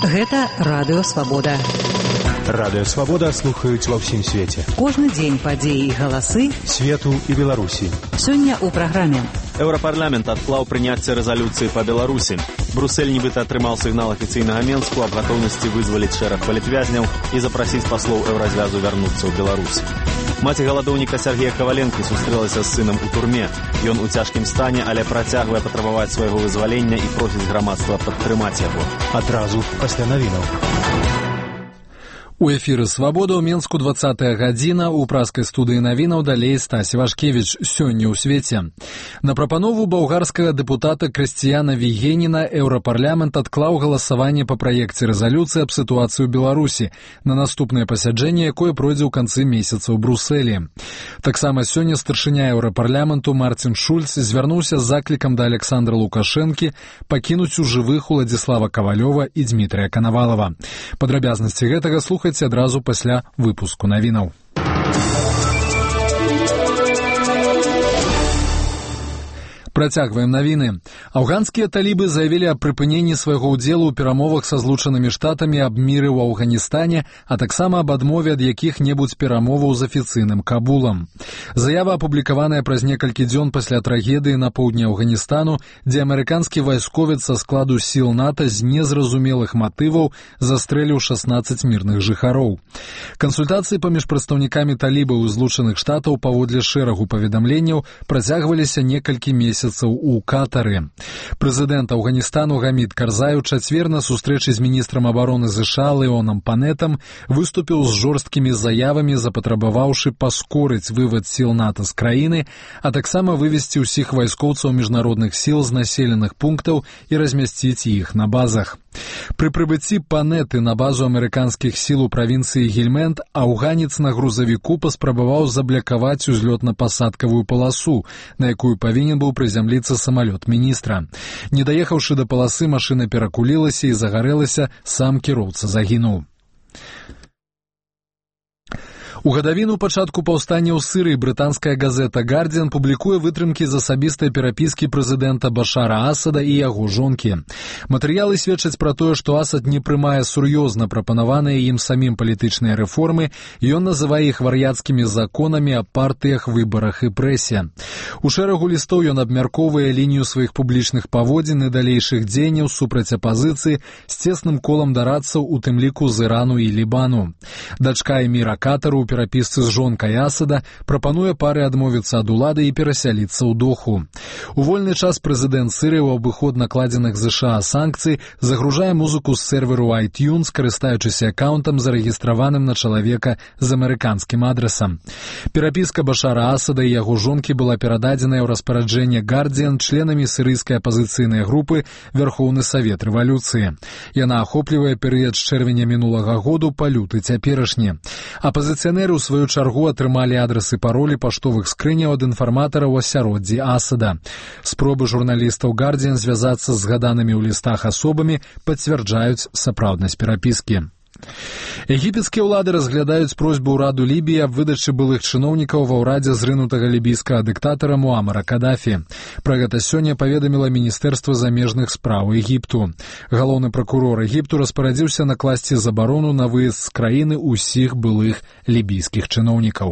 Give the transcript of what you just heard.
Гэта Радыё Свабода. Радыё Свабода слухаюць ва ўсім свеце. Кожны дзень падзеі і галасы свету і Беларусі. Сёння ў праграме. Еўрапарламент адклаў прыняцце рэзалюцыі па Беларусі. Брюссель нібыта атрымаў сігнал афіцыйнага Менску аб гатоўнасці вызваліць шэраг палітвязняў і запрасіць паслоў еўразвязу вярнуцца ў Беларусь. Маці галадоўніка Сергея Каваленкі сустрэлася з сынам у турме. Ён у цяжкім стане, але працягвае патрабаваць свайго вызвалення і просіць грамадства падтрымаць яго. Адразу пасля навінаў. У эфіры «Свабода» ў Менску 20-я гадзіна, у праскай студыі навінаў далей Стась Івашкевіч. Сёння ў свеце. На прапанову балгарскага дэпутата Крысціяна Вігеніна еўрапарламент адклаў галасаванне па праекце рэзалюцыі аб сітуацыі ў Беларусі на наступнае пасяджэнне, якое пройдзе ў канцы месяца ў Брюсселі. Таксама сёння старшыня еўрапарламенту Марцін Шульц звярнуўся з заклікам да Александра Лукашэнкі пакінуць у жывых Уладзіслава Кавалёва і Дмітрыя Канавалава. Падрабязнасці гэтага слухайце адразу пасля выпуску навінаў. Працягваем навіны. Афганскія талібы заявілі аб прыпыненні свайго ўдзелу ў перамовах са Злучанымі Штатамі аб міры ў Афганістане, а таксама аб адмове ад якіх-небудзь перамоваў з афіцыйным Кабулам. Заява апублікаваная праз некалькі дзён пасля трагедыі на поўдні Афганістану, дзе амерыканскі вайсковец са складу сіл НАТО з незразумелых матываў застрэліў 16 мірных жыхароў. Кансультацыі паміж прадстаўнікамі талібаў і Злучаных Штатаў паводле шэрагу паведамленняў працягваліся некалькі месяцаў у Катары. Прэзідэнт Афганістану Гамід Карзай у чацвер на сустрэчы з міністрам абароны США Леонам Панетам выступіў з жорсткімі заявамі, запатрабаваўшы паскорыць вывад сіл НАТО з краіны, а таксама вывесці ўсіх вайскоўцаў міжнародных сіл з населеных пунктаў і размясціць іх на базах. Пры прыбыцці Панеты на базу амерыканскіх сіл у правінцыі Гельмэнд афганец на грузавіку паспрабаваў заблякаваць узлётна-пасадкавую паласу, на якую павінен быў прызямліцца самалёт міністра. Не даехаўшы да паласы, машына перакулілася і загарэлася, сам кіроўца загінуў. У гадавіну пачатку паўстання ў Сірыі брытанская газета «Гардзіан» публікуе вытрымкі з асабістай перапіскі прэзідэнта Башара Асада і яго жонкі. Матэрыялы сведчаць пра тое, што Асад не прымае сур'ёзна прапанаваныя ім самім палітычныя рэформы, і ён называе іх вар'яцкімі законамі аб партыях, выбарах і прэсе. У шэрагу лістоў ён абмяркоўвае лінію сваіх публічных паводзін і далейшых дзеянняў супраць апазіцыі з цесным колам дарадцаў, у тым ліку з Ірану і Лібану. Дачка эміра Катару у перапісцы з жонкай Асада прапануе пары адмовіцца ад улады і перасяліцца ў Доху. У вольны час прэзідэнт Сірыі ў абыход накладзеных США санкцый загружае музыку з серверу iTunes, карыстаючыся акаунтам, зарэгістраваным на чалавека з амерыканскім адрасам. Перапіска Башара Асада і яго жонкі была перададзеная ў распараджэнне «Гардзіан» членамі сірыйскай апазіцыйнай групы Вярхоўны Савет Рэвалюцыі. Яна ахоплівае перыяд з чэрвеня мінулага году па люты цяперашні. Апазіцыянеры у сваю чаргу атрымалі адрасы паролі паштовых скрыняў ад інфарматараў у асяроддзі Асада. Спробы журналістаў «Гардзіан» звязацца з згаданымі ў лістах асобамі пацвярджаюць сапраўднасць перапіскі. Егіпецкія ўлады разглядаюць просьбу ўраду Лібіі аб выдачы былых чыноўнікаў ва ўрадзе зрынутага лібійскага дыктатара Муамара Кадафі. Пра гэта сёння паведаміла Міністэрства замежных спраў Егіпту. Галоўны пракурор Егіпту распарадзіўся накласці забарону на выезд з краіны ўсіх былых лібійскіх чыноўнікаў.